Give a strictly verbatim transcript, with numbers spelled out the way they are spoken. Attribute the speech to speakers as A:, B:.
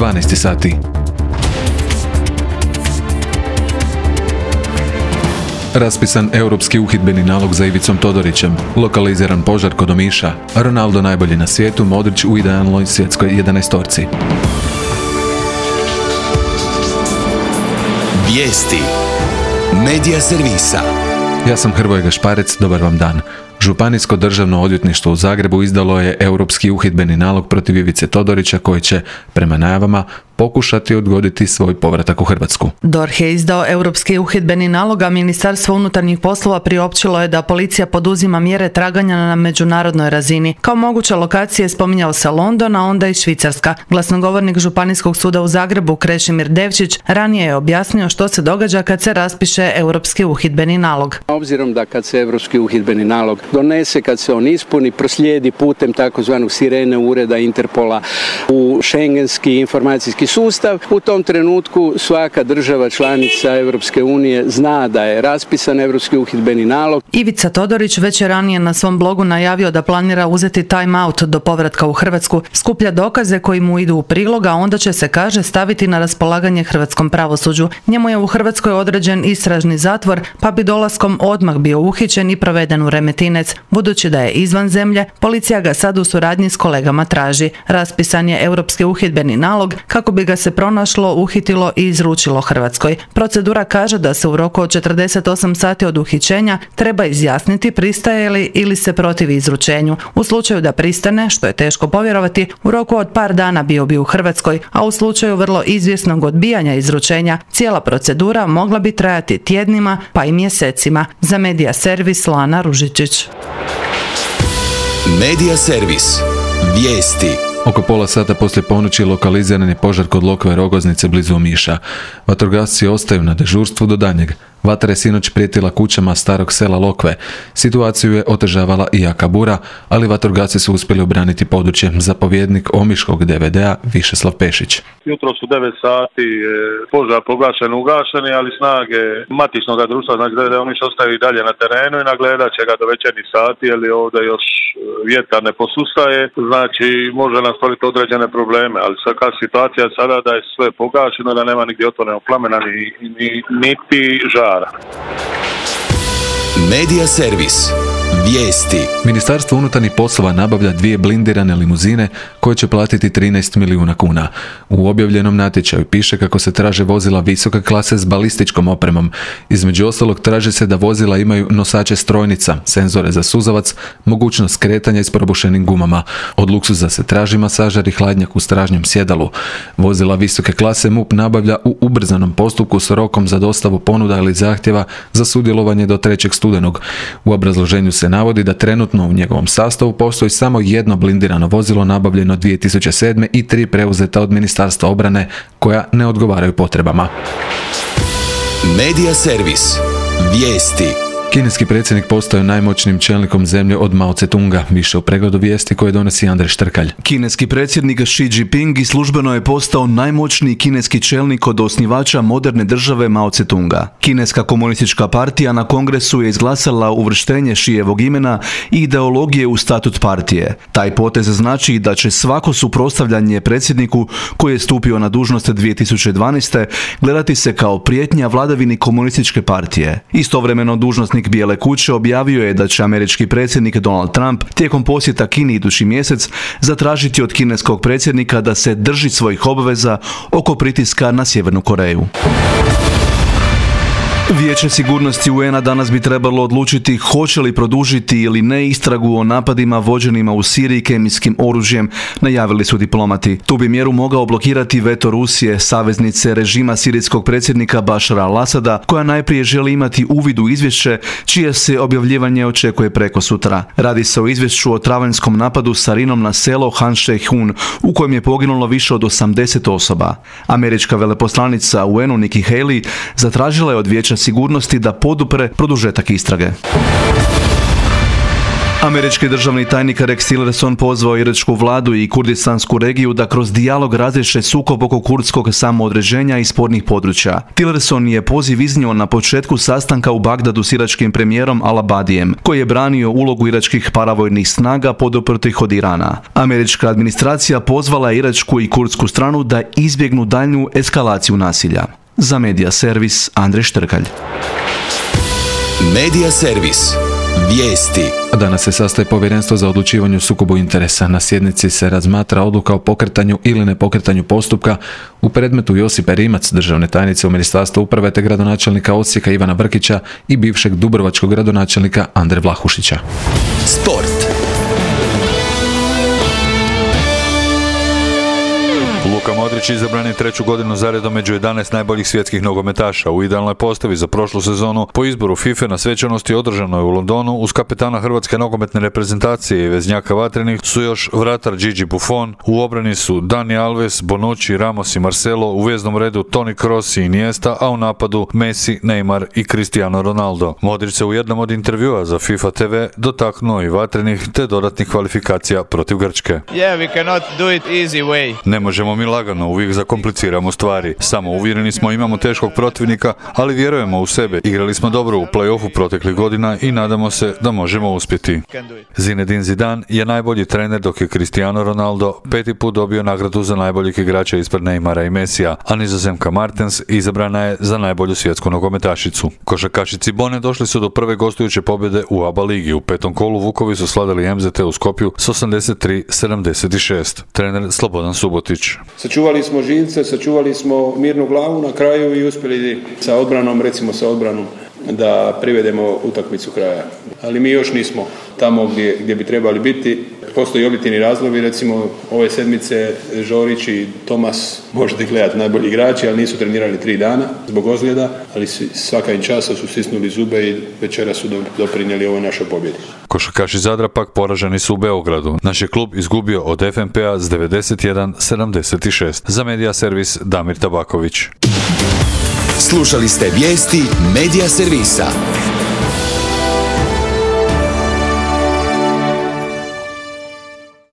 A: dvanaest sati. Raspisan europski uhidbeni nalog za Ivicom Todorićem, lokaliziran požar kod Omiša, Ronaldo najbolji na svijetu, Modrić u idealnoj svjetskoj jedanaestorci.
B: Vijesti Medija servisa.
A: Ja sam Hrvoje Gašparec, dobar vam dan. Županijsko državno odvjetništvo u Zagrebu izdalo je europski uhidbeni nalog protiv Ivice Todorića koji će, prema najavama, pokušati odgoditi svoj povratak u Hrvatsku.
C: D O R H je izdao europski uhidbeni nalog, a Ministarstvo unutarnjih poslova priopćilo je da policija poduzima mjere traganja na međunarodnoj razini. Kao moguće lokacije spominjao se London, a onda i Švicarska. Glasnogovornik Županijskog suda u Zagrebu Krešimir Devčić ranije je objasnio što se događa kad se raspiše europski uhidbeni nalog.
D: Obzirom da kad se europski uhidbeni nalog donese, kad se on ispuni, proslijedi putem takozvanog sirene ureda Interpola u šengenski informacijski sustav, u tom trenutku svaka država članica Europske unije zna da je raspisan europski uhidbeni nalog.
C: Ivica Todorić već je ranije na svom blogu najavio da planira uzeti time out do povratka u Hrvatsku, skuplja dokaze koji mu idu u prilog, a onda će se, kaže, staviti na raspolaganje hrvatskom pravosuđu. Njemu je u Hrvatskoj određen istražni zatvor, pa bi dolaskom odmah bio uhićen i proveden u Remetinec. Budući da je izvan zemlje, policija ga sad u suradnji s kolegama traži. Raspisan je europski uhidbeni nalog kako bi ga se pronašlo, uhitilo i izručilo Hrvatskoj. Procedura kaže da se u roku od četrdeset osam sati od uhićenja treba izjasniti pristaje li ili se protivi izručenju. U slučaju da pristane, što je teško povjerovati, u roku od par dana bio bi u Hrvatskoj, a u slučaju vrlo izvjesnog odbijanja izručenja, cijela procedura mogla bi trajati tjednima pa i mjesecima. Za Medija servis Lana Ružičić.
B: Medija servis. Vijesti.
A: Oko pola sata poslije ponoći lokaliziran je požar kod Lokve Rogoznice blizu Omiša. Vatrogasci ostaju na dežurstvu do danjeg. Vatra je sinoć prijetila kućama starog sela Lokve. Situaciju je otežavala i jaka bura, ali vatrogasci su uspjeli obraniti područje. Zapovjednik Omiškog D V D-a Višeslav Pešić.
E: Jutro su devet sati požar pogašen, ugašeni, ali snage matičnog društva, znači D V D Omiš ostaju i dalje na terenu i nagledat će ga do večernjih sati, jer ovdje još vjetar ne posustaje, znači može nam stvoriti određene probleme, ali svaka situacija sada da je sve pogašeno, da nema nigdje otvorenog plamena ni, ni, niti žara.
B: Medija servis. Vijesti.
A: Ministarstvo unutarnjih poslova nabavlja dvije blindirane limuzine koje će platiti trinaest milijuna kuna. U objavljenom natječaju piše kako se traže vozila visoke klase s balističkom opremom. Između ostalog traži se da vozila imaju nosače strojnica, senzore za suzavac, mogućnost kretanja i s probušenim gumama. Od luksuza se traži masažer i hladnjak u stražnjem sjedalu. Vozila visoke klase M U P nabavlja u ubrzanom postupku s rokom za dostavu ponuda ili zahtjeva za sudjelovanje do trećeg studenog. U obrazloženju se navodi da trenutno u njegovom sastavu postoji samo jedno blindirano vozilo nabavljeno dvije tisuće sedme i tri preuzeta od Ministarstva obrane koja ne odgovaraju potrebama.
B: Medija servis. Vijesti.
A: Kineski predsjednik postao najmoćnijim čelnikom zemlje od Mao Tse-tunga, više u pregledu vijesti koje donosi Andrej Štrkalj.
F: Kineski predsjednik Xi Jinping i službeno je postao najmoćniji kineski čelnik od osnivača moderne države Mao Tse-tunga. Kineska komunistička partija na kongresu je izglasala uvrštenje Šijevog imena i ideologije u statut partije. Taj potez znači da će svako suprotstavljanje predsjedniku koji je stupio na dužnost dvije tisuće dvanaeste. gledati se kao prijetnja vladavini komunističke partije. Istovremeno dužnosnik Bijele kuće objavio je da će američki predsjednik Donald Trump tijekom posjeta Kini idući mjesec zatražiti od kineskog predsjednika da se drži svojih obveza oko pritiska na Sjevernu Koreju. Vijeće sigurnosti U N A danas bi trebalo odlučiti hoće li produžiti ili ne istragu o napadima vođenima u Siriji kemijskim oružjem, najavili su diplomati. Tu bi mjeru mogao blokirati veto Rusije, saveznice režima sirijskog predsjednika Bašara al-Asada, koja najprije želi imati uvid u izvješće, čije se objavljivanje očekuje preko sutra. Radi se o izvješću o travanjskom napadu sarinom na selo Han Shehun, u kojem je poginulo više od osamdeset osoba. Američka veleposlanica U N U Nikki Haley zatražila je od Vijeća sigurnosti da podupre produžetak istrage. Američki državni tajnik Rex Tillerson pozvao iračku vladu i kurdistansku regiju da kroz dijalog razriješe sukob oko kurdskog samoodređenja i spornih područja. Tillerson je poziv iznio na početku sastanka u Bagdadu s iračkim premijerom Al-Abadijem, koji je branio ulogu iračkih paravojnih snaga poduprtih od Irana. Američka administracija pozvala je iračku i kurdsku stranu da izbjegnu daljnju eskalaciju nasilja. Za Medija servis Andrej Štrkalj.
B: Medija servis. Vijesti.
A: Danas se sastaje povjerenstvo za odlučivanje o sukobu interesa. Na sjednici se razmatra odluka o pokretanju ili nepokretanju postupka u predmetu Josipe Rimac, državne tajnice u Ministarstvu uprave, te gradonačelnika Osijeka Ivana Brkića i bivšeg dubrovačkog gradonačelnika Andre Vlahušića.
B: Sport.
G: Luka Modrić izabran je treću godinu zaredom među jedanaest najboljih svjetskih nogometaša. U idealnoj postavi za prošlu sezonu po izboru FIFA na svečanosti održanoj u Londonu uz kapetana hrvatske nogometne reprezentacije i veznjaka vatrenih su još vratar Gigi Buffon, u obrani su Dani Alves, Bonucci, Ramos i Marcelo, u veznom redu Toni Kroos i Iniesta, a u napadu Messi, Neymar i Cristiano Ronaldo. Modrić se u jednom od intervjua za FIFA te ve dotaknuo i vatrenih te dodatnih kvalifikacija protiv Grčke.
H: Yeah, we cannot do it easy way.
G: Ne možemo mi lagano, uvijek zakompliciramo stvari. Samo uvjereni smo, imamo teškog protivnika, ali vjerujemo u sebe. Igrali smo dobro u play-offu proteklih godina i nadamo se da možemo uspjeti. Zinedine Zidane je najbolji trener, dok je Cristiano Ronaldo peti put dobio nagradu za najboljeg igrača ispred Neymara i Messija, a Nizozemka Martens izabrana je za najbolju svjetsku nogometašicu. Košarkašici Bone došli su do prve gostujuće pobjede u A B A ligi. U petom kolu Vukovi su slavili em zet te u Skopju s osamdeset tri sedamdeset šest. Trener Slobodan Subotić.
I: Sačuvali smo živce, sačuvali smo mirnu glavu na kraju i uspjeli sa odbranom, recimo sa odbranom, da privedemo utakmicu kraja. Ali mi još nismo tamo gdje, gdje bi trebali biti. Postoji objektivni razlogi, recimo ove sedmice Žorić i Tomas, možete gledati, najbolji igrači, ali nisu trenirali tri dana zbog ozljeda, ali svaka im časa su stisnuli zube i večera su doprinijeli ovoj našoj pobjedi.
G: Košarkaši Zadra pak poraženi su u Beogradu. Naš je klub izgubio od ef em pe a s devedeset jedan sedamdeset šest. Za Medija servis Damir Tabaković.
B: Slušali ste vijesti Medija servisa.